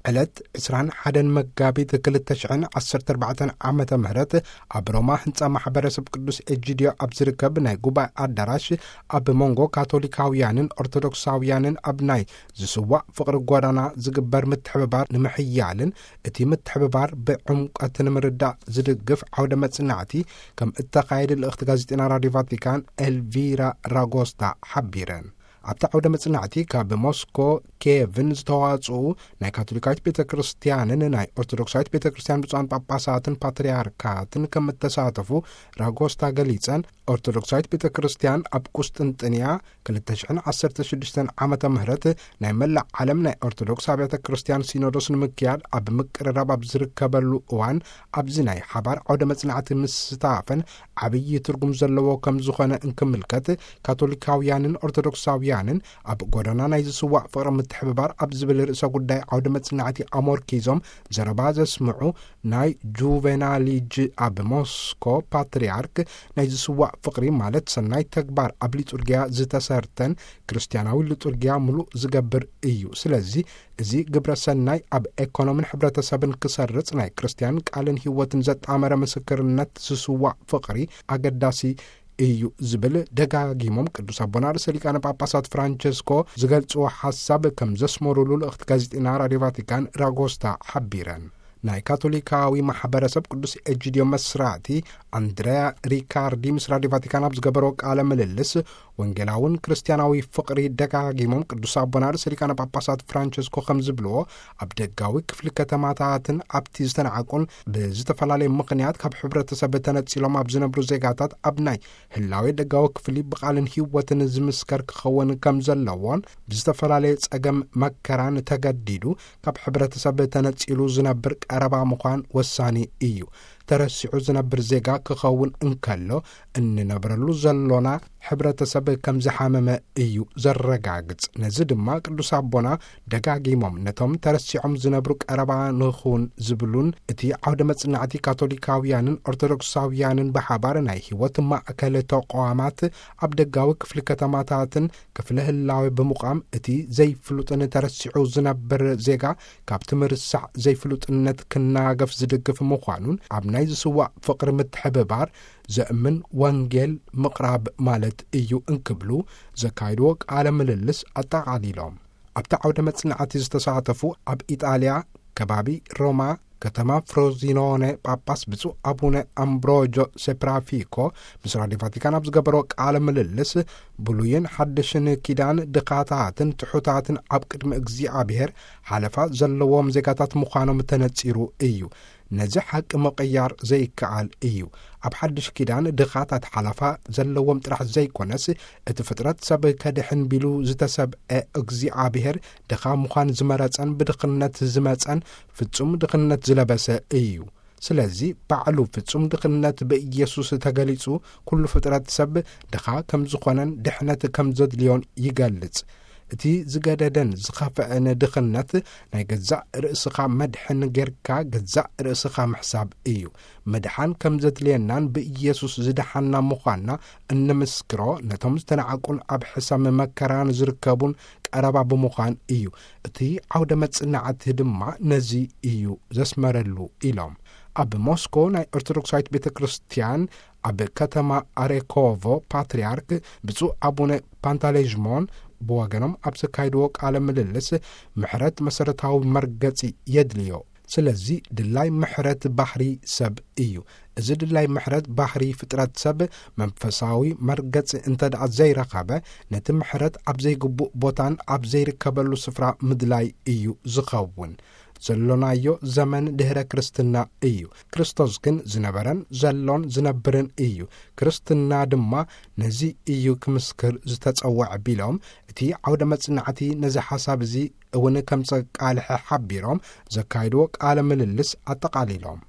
ዕለት ዕስራን ሓደን መጋቢት ክልተ ሽሕን ዓሰርተ ኣርባዕተን ዓመተ ምህረት ኣብ ሮማ ህንጻ ማሕበረሰብ ቅዱስ ኤጂድዮ ኣብ ዝርከብ ናይ ጉባኤ ኣዳራሽ፣ ኣብ መንጎ ካቶሊካውያንን ኦርቶዶክሳውያንን ኣብ ናይ ዝስዋዕ ፍቕሪ ጎዳና ዝግበር ምትሕብባር ንምሕያልን እቲ ምትሕብባር ብዕምቀት ንምርዳእ ዝድግፍ ዓውደ መጽናዕቲ ከም እተኻየደ ልእኽቲ ጋዜጠና ራዲዮ ቫቲካን ኤልቪራ ራጎስታ ሓቢረን። ኣብቲ ዓውደ መጽናዕቲ ካብ ሞስኮ ኬቭን ዝተዋጽኡ ናይ ካቶሊካዊት ቤተ ክርስቲያንን ናይ ኦርቶዶክሳዊት ቤተ ክርስቲያን ብፁዓን ጳጳሳትን ፓትርያርካትን ከም እተሳተፉ ራጎስታ ገሊጸን፣ ኦርቶዶክሳዊት ቤተ ክርስቲያን ኣብ ቁስጥንጥንያ ክልተ ሽሕን ዓሰርተ ሽዱሽተን ዓመተ ምህረት ናይ መላእ ዓለም ናይ ኦርቶዶክስ ኣብያተ ክርስቲያን ሲኖዶስ ንምክያድ ኣብ ምቅርራብ ኣብ ዝርከበሉ እዋን፣ ኣብዚ ናይ ሓባር ዓውደ መጽናዕቲ ምስታፈን ዓብዪ ትርጉም ዘለዎ ከም ዝኾነ እንክምልከት፣ ካቶሊካውያንን ኦርቶዶክሳውያንን ኣብ ጎዳና ናይ ዝስዋዕ ፍቕሪ ምትሕብባር ኣብ ዝብል ርእሰ ጉዳይ ዓውደ መጽናዕቲ ኣሞርኪዞም ዘረባ ዘስምዑ ናይ ጁቬናሊጅ ኣብ ሞስኮ ፓትርያርክ፣ ናይ ዝስዋዕ ፍቕሪ ማለት ሰናይ ተግባር ኣብ ሊጡርጊያ ዝተሰርተን ክርስቲያናዊ ሊጡርጊያ ምሉእ ዝገብር እዩ። ስለዚ እዚ ግብረ ሰናይ ኣብ ኤኮኖምን ሕብረተሰብን ክሰርጽ ናይ ክርስቲያን ቃልን ህይወትን ዘጣመረ ምስክርነት ዝስዋዕ ፍቕሪ ኣገዳሲ እዩ ዝብል ደጋጊሞም ቅዱስ ኣቦና ርእሰ ሊቃነ ጳጳሳት ፍራንቸስኮ ዝገልጽዎ ሓሳብ ከም ዘስመሩሉ ልእኽቲ ጋዜጠና ራዲዮ ቫቲካን ራጎስታ ሓቢረን። ናይ ካቶሊካዊ ማሕበረሰብ ቅዱስ ኤጂድዮ መስራቲ ኣንድሪያ ሪካርዲ ምስ ራዲዮ ቫቲካን ኣብ ዝገበሮ ቃለ ምልልስ፣ ወንጌላውን ክርስቲያናዊ ፍቕሪ ደጋጊሞም ቅዱስ ኣቦና ርእሰ ሊቃነ ጳጳሳት ፍራንቸስኮ ከም ዝብልዎ፣ ኣብ ደጋዊ ክፍሊ ከተማታትን ኣብቲ ዝተናዕቁን ብዝተፈላለየ ምኽንያት ካብ ሕብረተሰብ ተነጺሎም ኣብ ዝነብሩ ዜጋታት ኣብ ናይ ህላዌ ደጋዊ ክፍሊ ብቓልን ህይወትን ዝምስከር ክኸውን ከም ዘለዎን፣ ብዝተፈላለየ ጸገም መከራን ተገዲዱ ካብ ሕብረተሰብ ተነጺሉ ዝነብር ቀረባ ምዃን ወሳኒ እዩ። ተረሲዑ ዝነብር ዜጋ ክኸውን እንከሎ፣ እንነብረሉ ዘሎና ሕብረተሰብ ከም ዝሓመመ እዩ ዘረጋግጽ። ነዚ ድማ ቅዱስ ኣቦና ደጋጊሞም ነቶም ተረሲዖም ዝነብሩ ቀረባ ንኹን ዝብሉን፣ እቲ ዓውደ መጽናዕቲ ካቶሊካውያንን ኦርቶዶክሳውያንን ብሓባር ናይ ህይወት ማእከል ተቋማት ኣብ ደጋዊ ክፍሊ ከተማታትን ክፍለ ህላዌ ብምቋም፣ እቲ ዘይፍሉጥን ተረሲዑ ዝነብር ዜጋ ካብቲ ምርሳዕ ዘይፍሉጥነት ክናገፍ ዝድግፍ ምዃኑን፣ ኣብ ናይ ዝስዋዕ ፍቕሪ ምትሕብባር ዘእምን ወንጌል ምቕራብ ማለት እዩ እንክብሉ ዘካይድዎ ቃለ ምልልስ ኣጠቓሊሎም። ኣብቲ ዓውደ መጽናዕቲ ዝተሳተፉ ኣብ ኢጣልያ ከባቢ ሮማ ከተማ ፍሮዚኖነ ጳጳስ ብፁዕ ኣቡነ ኣምብሮጆ ሴፕራፊኮ ምስ ራዲዮ ቫቲካን ኣብ ዝገበሮ ቃለ ምልልስ፣ ብሉይን ሓድሽን ኪዳን ድኻታትን ትሑታትን ኣብ ቅድሚ እግዚኣብሔር ሓለፋ ዘለዎም ዜጋታት ምዃኖም ተነጺሩ እዩ። ነዚ ሓቂ ምቕያር ዘይከኣል እዩ። ኣብ ሓድሽ ኪዳን ድኻታት ሓለፋ ዘለዎም ጥራሕ ዘይኮነስ፣ እቲ ፍጥረት ሰብ ከድሕን ቢሉ ዝተሰብአ እግዚኣብሔር ድኻ ምዃን ዝመረጸን ብድኽነት ዝመጸን ፍጹም ድኽነት ዝለበሰ እዩ። ስለዚ ባዕሉ ፍጹም ድኽነት ብኢየሱስ ተገሊጹ፣ ኩሉ ፍጥረት ሰብ ድኻ ከም ዝኾነን ድሕነት ከም ዘድልዮን ይገልጽ። እቲ ዝገደደን ዝኸፍአን ድኽነት ናይ ገዛእ ርእስኻ መድሕን ጌርካ ገዛእ ርእስኻ ምሕሳብ እዩ። ምድሓን ከም ዘድልየናን ብኢየሱስ ዝደሓና ምዃንና እንምስክሮ ነቶም ዝተናዕቁን ኣብ ሕሰም መከራን ዝርከቡን ቀረባ ብምዃን እዩ። እቲ ዓውደ መጽናዕቲ ድማ ነዚ እዩ ዘስመረሉ ኢሎም። ኣብ ሞስኮ ናይ ኦርቶዶክሳዊት ቤተ ክርስቲያን ኣብ ከተማ ኣሬኮቮ ፓትርያርክ ብፁዕ ኣቡነ ፓንታሌዥሞን ብወገኖም ኣብ ዘካይድዎ ቃለ ምልልስ፣ ምሕረት መሰረታዊ መርገጺ የድልዮ። ስለዚ ድላይ ምሕረት ባህሪ ሰብ እዩ። እዚ ድላይ ምሕረት ባህሪ ፍጥረት ሰብ መንፈሳዊ መርገጺ እንተ ደኣ ዘይረኸበ፣ ነቲ ምሕረት ኣብ ዘይግቡእ ቦታን ኣብ ዘይርከበሉ ስፍራ ምድላይ እዩ ዝኸውን። ዘሎናዮ ዘመን ድህረ ክርስትና እዩ። ክርስቶስ ግን ዝነበረን ዘሎን ዝነብርን እዩ። ክርስትና ድማ ነዚ እዩ ክምስክር ዝተጸውዐ ቢሎም፣ እቲ ዓውደ መጽናዕቲ ነዚ ሓሳብ እዚ እውን ከም ዘቃልሐ ሓቢሮም፣ ዘካይድዎ ቃለ ምልልስ ኣጠቓሊሎም።